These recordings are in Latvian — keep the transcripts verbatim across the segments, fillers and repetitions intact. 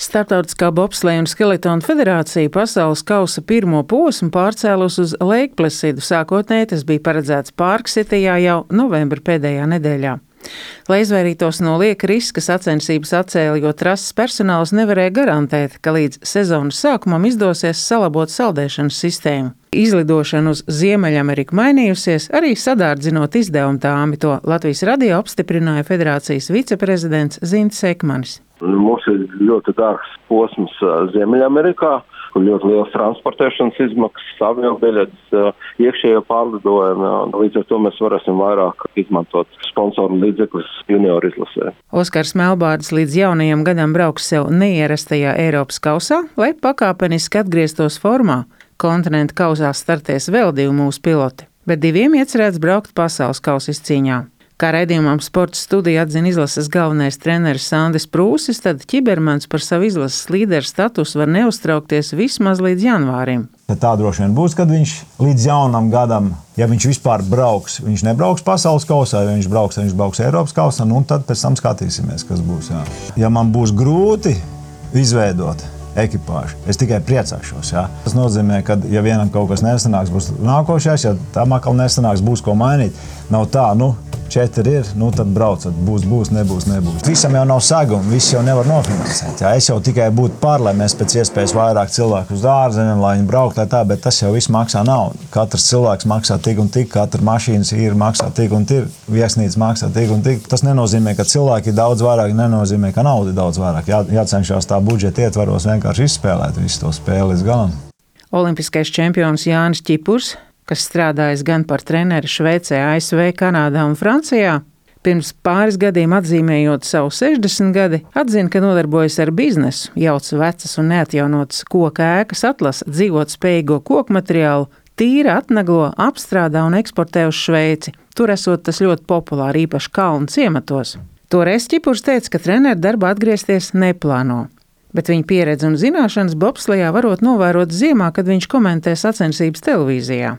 Startautiskā bobsleja un skeletona federācija pasaules kausa pirmo posmu pārcēlus uz Leikplesidu. Sākotnēji tas bija paredzēts Pārksitijā jau novembra pēdējā nedēļā. Lai izvairītos no lieka riska, sacensības atcēla, jo trases personāls nevarēja garantēt, ka līdz sezonas sākumam izdosies salabot saldēšanas sistēmu. Izlidošana uz Ziemeļameriku mainījusies, arī sadārdzinot izdevumu tāmi, to Latvijas radio apstiprināja federācijas viceprezidents Zintis Ekmanis. Mums ir ļoti dārgs posms Ziemeļamerikā, kur ļoti liels transportēšanas izmaksas, aviobiļetes, iekšējo pārlidojumu. Līdz ar to mēs varēsim vairāk izmantot sponsoru līdzekļus junioru izlasē. Oskars Melbārds līdz jaunajam gadam brauks sev neierastajā Eiropas kausā, lai pakāpeniski atgrieztos formā. Kontinenta kausā startēs vēl divi mūsu piloti, bet diviem iecerēts braukt pasaules kausa izcīņā. Kā raidījumam Sporta studija atzina izlases galvenais treneris Sandis Prūsis, tad Ķibermans par savu izlases līderu statusu var neuztraukties vismaz līdz janvārim. Tā droši vien būs, kad viņš līdz jaunam gadam, ja viņš vispār brauks, viņš nebrauks pasaules kausā, ja viņš brauks, ja viņš brauks Eiropas kausā, nu tad pēc tam skatīsimies, kas būs. Jā. Ja man būs grūti izveidot ekipāžu, es tikai priecāšos. Jā. Tas nozīmē, ka ja vienam kaut kas nesanāks, būs nākošais, ja tam atkal nesanāks, būs ko mainīt. Nav tā, nu, četri ir, nu tad braucat, būs, būs, nebūs, nebūs. Visam jau nav saguma, viss jau nevar nofinansēt. Jā. Es jau tikai būtu par, lai mēs pēc iespējas vairāk cilvēku uz ārzemēm, lai viņi braukt, lai tā, bet tas jau viss maksā naudu. Katrs cilvēks maksā tik un tik, katra mašīnas ir maksā tik un tik, viesnīca maksā tik un tik. Tas nenozīmē, ka cilvēki ir daudz vairāk, nenozīmē, ka nauda ir daudz vairāk. Jā, jācenšas tā budžeta ietvaros vienkārši izspēlēt visu to spēli līdz galam. Olimpiskais čempions Jānis Ķipurs, kas strādājis gan par treneri Šveicē, A S V, Kanādā un Francijā, pirms pāris gadiem atzīmējot savu sešdesmit gadi, atzina, ka nodarbojas ar biznesu, jauc vecas un neatjaunotas koka ēkas, atlasa dzīvot spējīgo koku materiālu, tīra, atnaglo, apstrādā un eksportē uz Šveici. Tur esot tas ļoti populāri, īpaši kalnu ciematos. Toreiz Ķipurs teica, ka treneru darbā atgriezties neplāno. Bet viņa pieredze un zināšanas bobslejā varot novērot ziemā, kad viņš komentē sacensības televīzijā.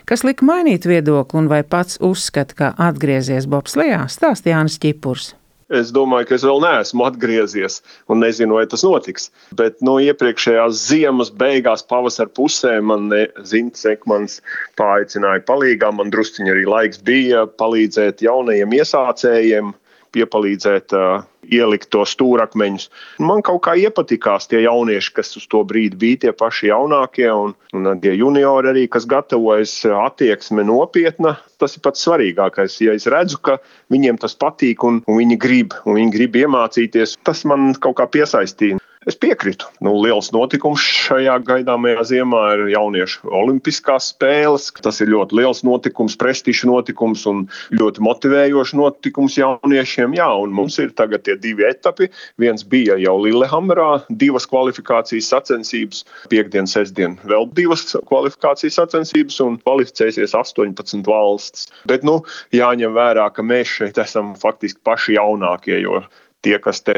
Kas lika mainīt viedokli un vai pats uzskata, ka atgriezies bobslejā, stāsta Jānis Ķipurs. Es domāju, ka es vēl neesmu atgriezies un nezinu, vai tas notiks. Bet no iepriekšējās ziemas beigās pavasara pusē man Zintis Ekmanis paaicināja palīgā. Man drusciņi arī laiks bija palīdzēt jaunajiem iesācējiem, piepalīdzēt uh, ielikt to stūrakmeņus. Man kaut kā iepatikās tie jaunieši, kas uz to brīdi bija tie paši jaunākie, un, un tie juniori arī, kas gatavojas, attieksme nopietna. Tas ir pats svarīgākais. Ja es redzu, ka viņiem tas patīk un, un viņi grib, un viņi grib iemācīties, tas man kaut kā piesaistīja. Es piekritu. Nu, liels notikums šajā gaidāmajā ziemā ir jauniešu olimpiskās spēles. Tas ir ļoti liels notikums, prestižs notikums un ļoti motivējošs notikums jauniešiem. Jā, un mums ir tagad tie divi etapi. Viens bija jau Lillehammerā, divas kvalifikācijas sacensības, piekdien, sestdien vēl divas kvalifikācijas sacensības un kvalificēsies astoņpadsmit valstis. Bet, nu, jāņem vērā, ka mēs šeit esam faktiski paši jaunākie, jo tie, kas te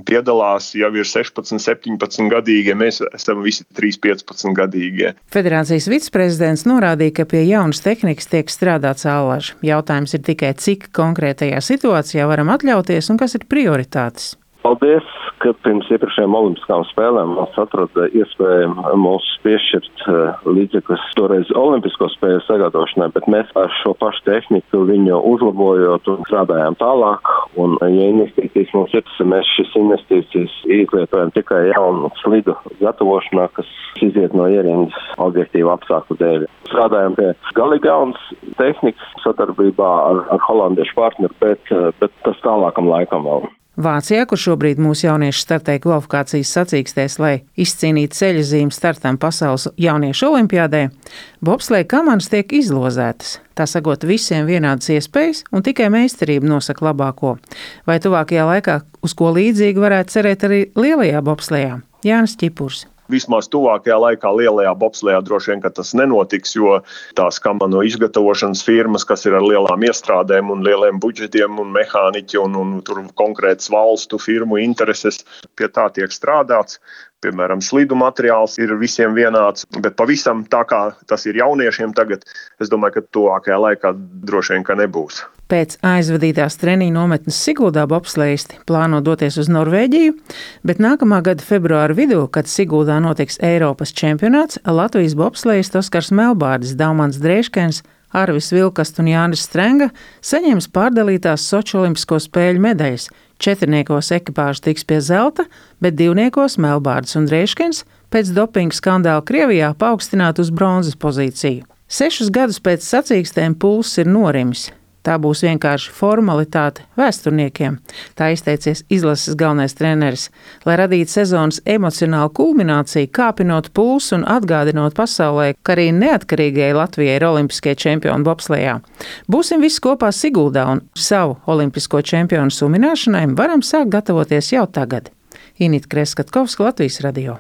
piedalās, jau ir sešpadsmit, septiņpadsmit gadīgie, mēs esam visi trīspadsmit, piecpadsmit gadīgie. Federācijas viceprezidents norādīja, ka pie jaunas tehnikas tiek strādāts allaž. Jautājums ir tikai, cik konkrētajā situācijā varam atļauties un kas ir prioritātes. Paldies, ka pirms iepriekšējām olimpiskām spēlēm mums atrada iespēju mums piešķirt līdzekļus toreiz olimpisko spēļu sagatavošanai, bet mēs ar šo pašu tehniku viņu uzlabojot un strādājām tālāk. Un, ja investīcijas mums ir, mēs šis investīcijas izlietojam tikai jaunu slidu gatavošanā, kas iziet no ierindas objektīva apstākļu dēļ. Strādājam pie galīgi jaunas tehnikas sadarbībā ar, ar holandiešu partneri, bet, bet tas tālākam laikam vēl. Vācijā, kur šobrīd mūsu jaunieši startē kvalifikācijas sacīkstēs, lai izcīnītu ceļazīmi startam pasaules jauniešu olimpiādē, bobsleja kamanas tiek izlozētas. Tā sagot visiem vienādas iespējas un tikai meistarība nosaka labāko. Vai tuvākajā laikā uz ko līdzīgi varētu cerēt arī lielajā bobslejā? Jānis Ķipurs. Vismaz tuvākajā laikā lielajā bobslejā droši vien, ka tas nenotiks, jo tās kamanu izgatavošanas firmas, kas ir ar lielām iestrādēm un lieliem budžetiem un mehāniķi un, un tur konkrētas valstu firmu intereses, pie tā tiek strādāts. Piemēram, slidu materiāls ir visiem vienāds, bet pavisam tā kā tas ir jauniešiem tagad, es domāju, ka tuvākajā laikā droši vien, ka nebūs. Pēc aizvadītās treniņu nometnes Siguldā bobslejisti plāno doties uz Norvēģiju, bet nākamā gada februāra vidū, kad Siguldā notiks Eiropas čempionāts, Latvijas bobslejisti Oskars Melbārdis, Daumans Dreiškens, Arvis Vilkast un Jānis Strenga saņems pārdalītās Soči olimpisko spēļu medaļas. Četrniekos ekipāža tiks pie zelta, bet divniekos Melbārdis un Dreiškens pēc dopinga skandāla Krievijā paaugstināt uz bronzas pozīciju. Sešus gadus pēc sacīkstēm pulss ir norimis. Tā būs vienkārši formalitāte vēsturniekiem, tā izteicies izlases galvenais treneris, lai radītu sezonas emocionālu kulmināciju, kāpinot pulsu un atgādinot pasaulē, ka arī neatkarīgajai Latvijai ir olimpiskie čempioni bobslejā. Būsim visi kopā Siguldā un savu olimpisko čempionu sumināšanai varam sākt gatavoties jau tagad. Inita Kreskatkovska, Latvijas radio.